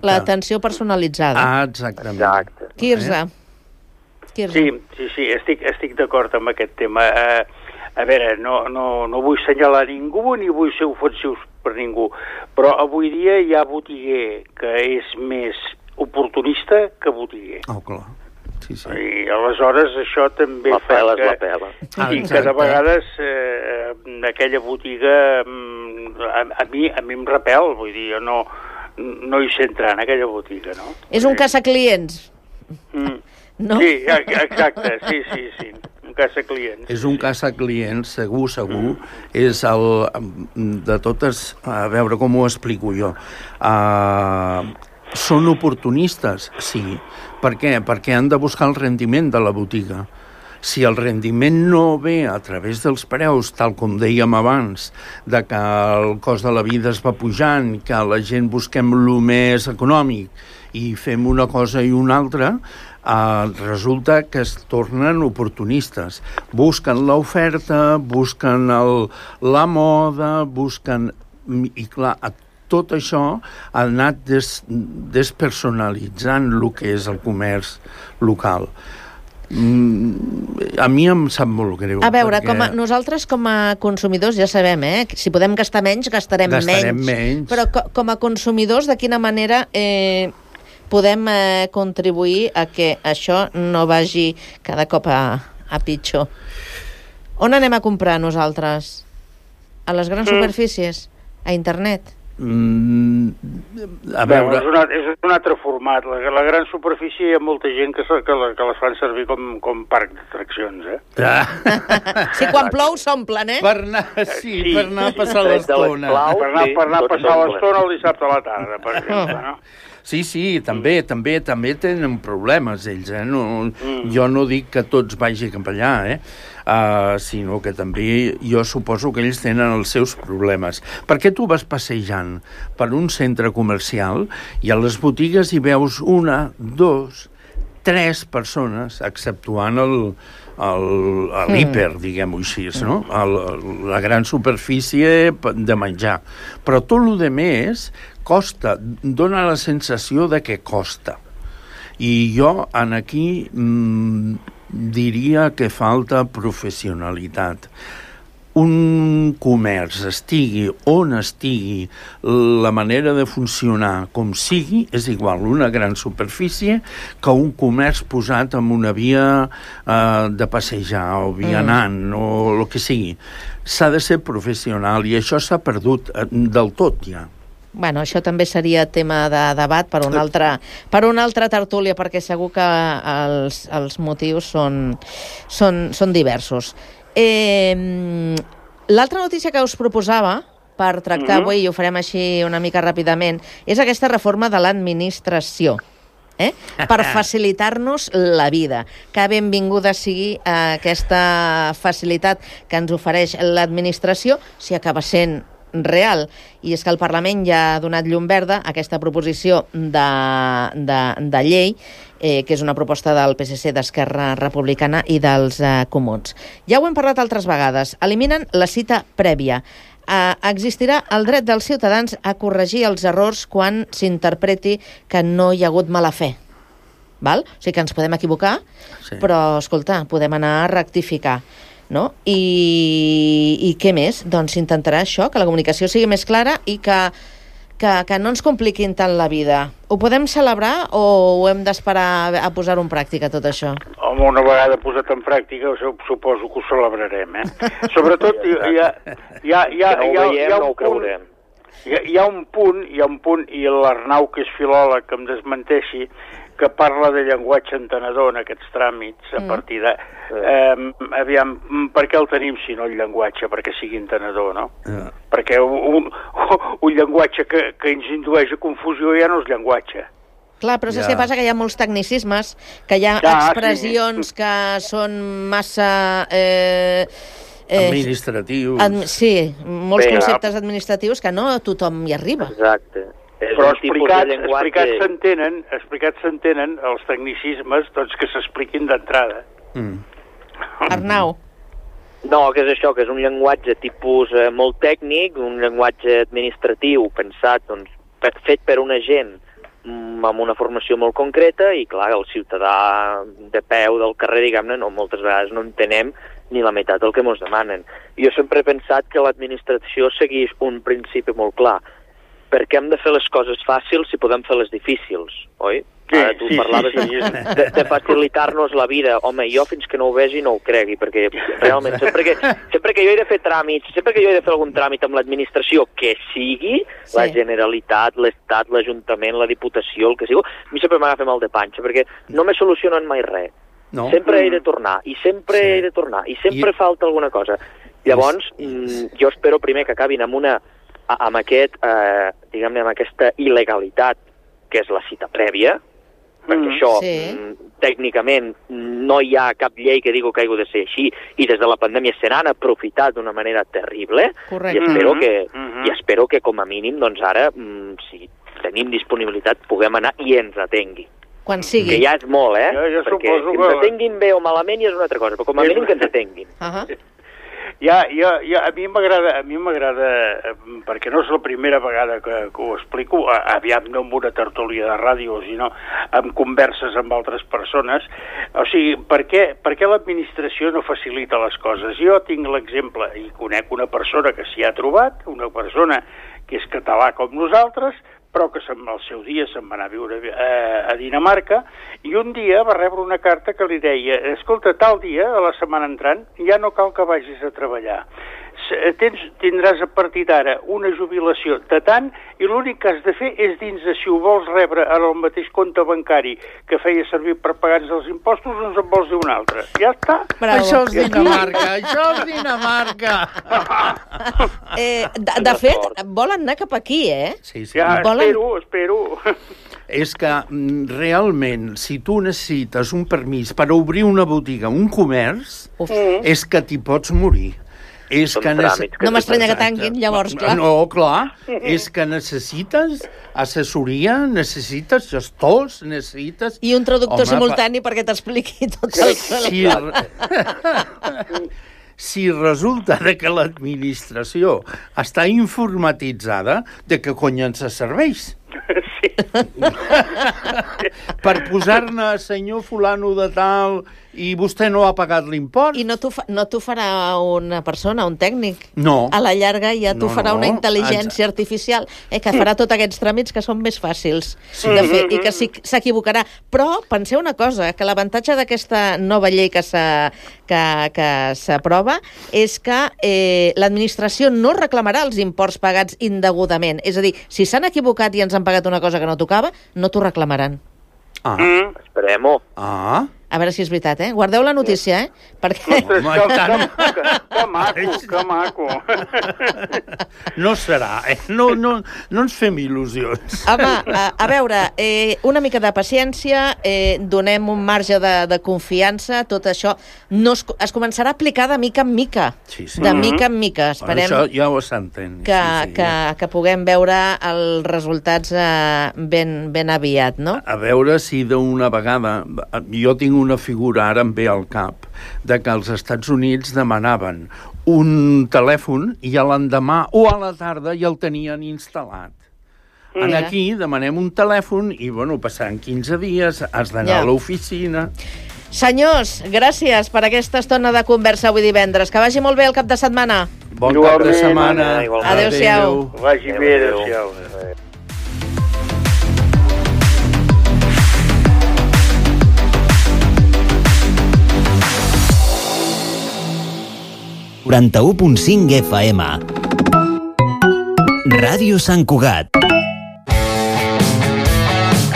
L'atenció la, personalitzada. Ah, exactament. Exacte. Quirze. Eh? Quirze. Sí, sí, sí, estic, estic d'acord amb aquest tema. Uh, A veure, no, no, no vull senyalar ningú ni vull ser ofensius per ningú, però avui dia hi ha botiguer que és més oportunista que botiguer. Oh, clar. Sí, sí. I aleshores això també la fa pela que... La pela. Ah, i que de vegades eh, aquella botiga a, a, mi, a mi em repel, vull dir, jo no... no hi sé entrar en aquella botiga, no? És un caça-clients. Mm. No? Sí, exacte, sí, sí, sí. Un caça-clients. És un caça-clients, segur, segur. Mm. És el... De totes... A veure com ho explico jo. Uh, són oportunistes? Sí. Per què? Perquè han de buscar el rendiment de la botiga. Si el rendiment no ve a través dels preus, tal com dèiem abans, de que el cost de la vida es va pujant, que la gent busquem el més econòmic i fem una cosa i una altra, eh, resulta que es tornen oportunistes. Busquen l'oferta, busquen el, la moda, busquen... I clar, tot això ha anat des, despersonalitzant el que és el comerç local. A mi em sap molt greu. A veure, perquè... com a, nosaltres com a consumidors ja sabem, eh? Si podem gastar menys, gastarem, gastarem menys. menys. Però co com a consumidors, de quina manera eh, podem eh, contribuir a que això no vagi cada cop a, a pitjor? On anem a comprar nosaltres? A les grans mm. superfícies? A internet? Mm, a veure... Bé, és, una, és un altre format. La, la gran superfície hi ha molta gent que, que, la, que les fan servir com, com parc d'atraccions, eh? Ah. Sí, quan plou s'omplen, eh? Per anar, sí, sí, per anar a passar l'estona. Per anar, per anar a passar l'estona el dissabte a la tarda, per exemple, no? Sí, sí, també, mm. també, també tenen problemes ells, eh? No, mm. Jo no dic que tots vagi cap allà, eh? Uh, sinó que també jo suposo que ells tenen els seus problemes. Perquè tu vas passejant per un centre comercial i a les botigues hi veus una, dos, tres persones, exceptuant el, el, l'hiper, mm. diguem-ho així, no? El, la gran superfície de menjar. Però tot el que més costa, dona la sensació de que costa. I jo en aquí mmm, diria que falta professionalitat. Un comerç, estigui on estigui, la manera de funcionar com sigui, és igual una gran superfície que un comerç posat en una via eh, de passejar o vianant mm. o el que sigui. S'ha de ser professional i això s'ha perdut del tot ja. Bueno, això també seria tema de debat per una altra, per una altra tertúlia, perquè segur que els, els motius són, són, són diversos. Eh, l'altra notícia que us proposava per tractar mm-hmm. avui, i ho farem així una mica ràpidament, és aquesta reforma de l'administració. Eh? Per facilitar-nos la vida. Que benvinguda sigui eh, aquesta facilitat que ens ofereix l'administració, si acaba sent real. I és que el Parlament ja ha donat llum verda a aquesta proposició de, de, de llei, eh, que és una proposta del P S C, d'Esquerra Republicana i dels eh, Comuns. Ja ho hem parlat altres vegades. Eliminen la cita prèvia. Eh, existirà el dret dels ciutadans a corregir els errors quan s'interpreti que no hi ha hagut mala fe. Val? O sigui que ens podem equivocar, sí. Però, escolta, podem anar a rectificar. No? I, i què més? Doncs intentarà això, que la comunicació sigui més clara i que, que, que no ens compliquin tant la vida. Ho podem celebrar o ho hem d'esperar a posar-ho en pràctica, tot això? Home, una vegada posat en pràctica, suposo que ho celebrarem, eh? Sobretot, hi ha, hi ha, hi ha, hi ha, que no ho veiem, no ho creurem. Hi ha, hi ha un punt, hi ha un punt, i l'Arnau, que és filòleg, que em desmenteixi, que parla de llenguatge entenedor en aquests tràmits, a partir de... Eh, aviam, per què el tenim si no el llenguatge? Perquè sigui entenedor, no? Yeah. Perquè un, un, un llenguatge que, que ens indueix a confusió ja no és llenguatge. Clar, però saps yeah. què passa? Que hi ha molts tecnicismes, que hi ha ja, expressions sí. que són massa... Eh, eh, administratius. Ad, sí, molts Bé, conceptes administratius que no tothom hi arriba. Exacte. És però explicats explicats s'entenen explicats s'entenen els tecnicismes doncs que s'expliquin d'entrada. Mm. Arnau. No, que és això, que és un llenguatge tipus eh, molt tècnic, un llenguatge administratiu pensat, doncs, fet per una gent mm, amb una formació molt concreta i, clar, el ciutadà de peu del carrer, diguem-ne, no, moltes vegades no entenem ni la meitat del que ens demanen. Jo sempre he pensat que l'administració segueix un principi molt clar. Per què hem de fer les coses fàcils si podem fer les difícils, oi? Sí, Ara tu sí, parlaves sí, sí. de, de facilitar-nos la vida. Home, jo fins que no ho vegi no ho cregui, perquè realment sempre que, sempre que jo he de fer tràmits, sempre que jo he de fer algun tràmit amb l'administració que sigui, sí. La Generalitat, l'Estat, l'Ajuntament, la Diputació, el que sigui, a mi sempre m'agafa mal de panxa, perquè no me solucionen mai res. No. Sempre he de tornar, i sempre sí. he de tornar, i sempre I... falta alguna cosa. Llavors, yes. jo espero primer que acabin amb una, amb aquest, eh, diguem-ne, amb aquesta il·legalitat, que és la cita prèvia, perquè mm, això, sí. tècnicament, no hi ha cap llei que digui que hagi de ser així, i des de la pandèmia se n'han aprofitat d'una manera terrible, Correcte. i espero, mm -hmm. que, mm -hmm. i espero que, com a mínim, doncs ara, si tenim disponibilitat, puguem anar i ens atengui. Quan sigui. Que ja és molt, eh? Jo, jo perquè suposo que que... ens atenguin bé o malament ja és una altra cosa, però com a mínim que ens atenguin. Uh -huh. Ja, ja, ja, a mi m'agrada, a mi m'agrada, perquè no és la primera vegada que, que ho explico, aviam no amb una tertúlia de ràdio, sinó amb converses amb altres persones. O sigui, per què, per què l'administració no facilita les coses? Jo tinc l'exemple, i conec una persona que s'hi ha trobat, una persona que és català com nosaltres, però que al seu dia se'n va anar a viure a, a Dinamarca, i un dia va rebre una carta que li deia: escolta, tal dia, a la setmana entrant, ja no cal que vagis a treballar. Tens, tindràs a partir d'ara una jubilació de tant, i l'únic que has de fer és dins de si ho vols rebre en el mateix compte bancari que feia servir per pagar-nos els impostos, doncs en vols dir un altre. Ja està. Bravo. Això és Dinamarca, això és Dinamarca. eh, de, de fet, volen anar cap aquí, eh? Sí, sí. Ja, volen... espero, espero. És que realment, si tu necessites un permís per obrir una botiga, un comerç, Uf. és que t'hi pots morir. És que nece... No m'estranya que tanquin, llavors, clar. No, clar. És que necessites assessoria, necessites gestors, necessites... I un traductor Home, simultani pa... perquè t'expliqui tot el... Sí. Si resulta que l'administració està informatitzada, de què cony ens serveix? Sí. Per posar-ne senyor fulano de tal i vostè no ha pagat l'import. I no t'ho fa, no farà una persona, un tècnic. No. A la llarga ja t'ho no, farà no. una intel·ligència Ens... artificial eh, que farà tots aquests tràmits que són més fàcils sí. de fer i que s'equivocarà. Però penseu una cosa, que l'avantatge d'aquesta nova llei que s'aprova és que eh, l'administració no reclamarà els imports pagats indegudament. És a dir, si s'han equivocat i ens han pagat una cosa que no tocava, no t'ho reclamaran. Ah. Mm. Esperem-ho. Ah. A veure si és veritat, eh? Guardeu la notícia, eh? Perquè... Ostres, que, que, que, que maco, que maco. No serà, eh? No, no, no ens fem il·lusions. Home, a, a veure, eh, una mica de paciència, eh, donem un marge de, de confiança, tot això no es, es començarà a aplicar de mica en mica. Sí, sí. De mica en mica. Esperem bueno, això ja ho s'entén. Que, sí, sí, que, ja. que puguem veure els resultats eh, ben, ben aviat, no? A, a veure si d'una vegada... Jo tinc una figura, ara em ve al cap, de que els Estats Units demanaven un telèfon i a l'endemà o a la tarda ja el tenien instal·lat. Mm. En aquí demanem un telèfon i, bueno, passaran quinze dies, has d'anar ja. a l'oficina... Senyors, gràcies per aquesta estona de conversa avui divendres. Que vagi molt bé el cap de setmana. Bon cap de setmana. Adéu-siau. Vagi bé, adéu-siau. quaranta-u punt cinc F M. Ràdio Sant Cugat.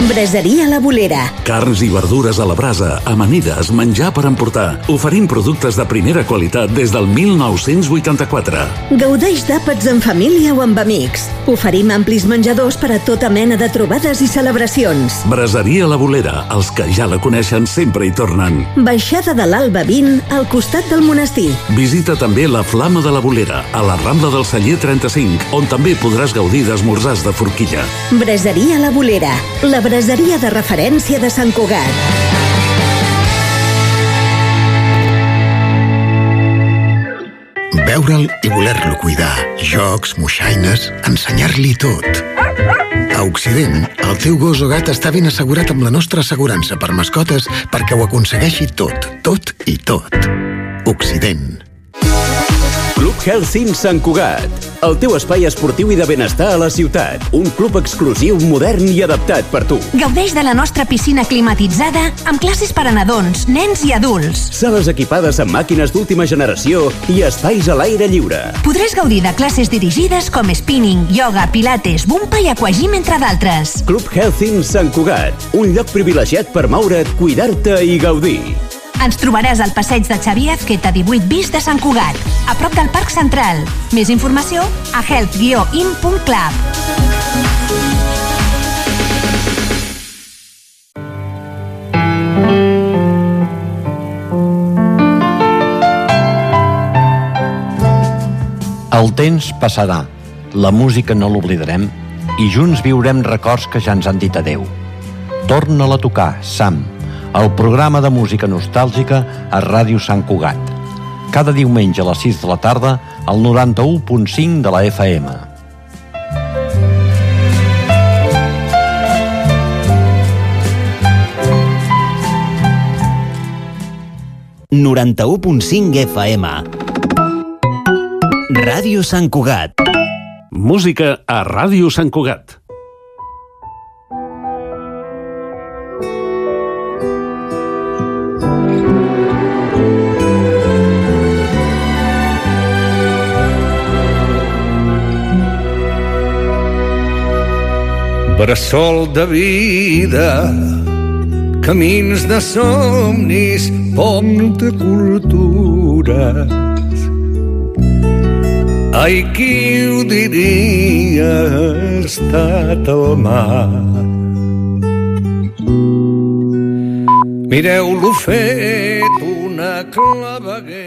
Braseria La Bolera. Carns i verdures a la brasa, amanides, menjar per emportar. Oferim productes de primera qualitat des del mil nou-cents vuitanta-quatre. Gaudeix d'àpats en família o amb amics. Oferim amplis menjadors per a tota mena de trobades i celebracions. Braseria La Bolera. Els que ja la coneixen sempre hi tornen. Baixada de l'Alba vint, al costat del monestir. Visita també la Flama de la Bolera, a la Rambla del Celler trenta-cinc, on també podràs gaudir d'esmorzars de forquilla. Braseria La Bolera. La braseria de referència de Sant Cugat. Veure'l i voler-lo cuidar. Jocs, moixaines, ensenyar-li tot. A Occident, el teu gos o gat està ben assegurat amb la nostra assegurança per mascotes perquè ho aconsegueixi tot, tot i tot. Occident. Club Health in Sant Cugat. el teu espai esportiu i de benestar a la ciutat. Un club exclusiu, modern i adaptat per tu. Gaudeix de la nostra piscina climatitzada amb classes per a nadons, nens i adults. Sales equipades amb màquines d'última generació i espais a l'aire lliure. Podràs gaudir de classes dirigides com spinning, yoga, pilates, bumpa i aquagym, entre d'altres. Club Healthing Sant Cugat, un lloc privilegiat per moure't, cuidar-te i gaudir. Ens trobaràs al passeig de Xavier Azqueta divuit bis de Sant Cugat, a prop del Parc Central. Més informació a health guió in punt club. El temps passarà, la música no l'oblidarem i junts viurem records que ja ens han dit adeu. Torna-la a tocar, Sam, el programa de música nostàlgica a Ràdio Sant Cugat. Cada diumenge a les sis de la tarda al noranta-u punt cinc de la F M. noranta-u punt cinc F M. Ràdio Sant Cugat. Música a Ràdio Sant Cugat. Bressol de vida, camins de somnis, pont de cultures. Ai, qui ho diria, ha estat el mar. Mireu-lo fet una claveguera.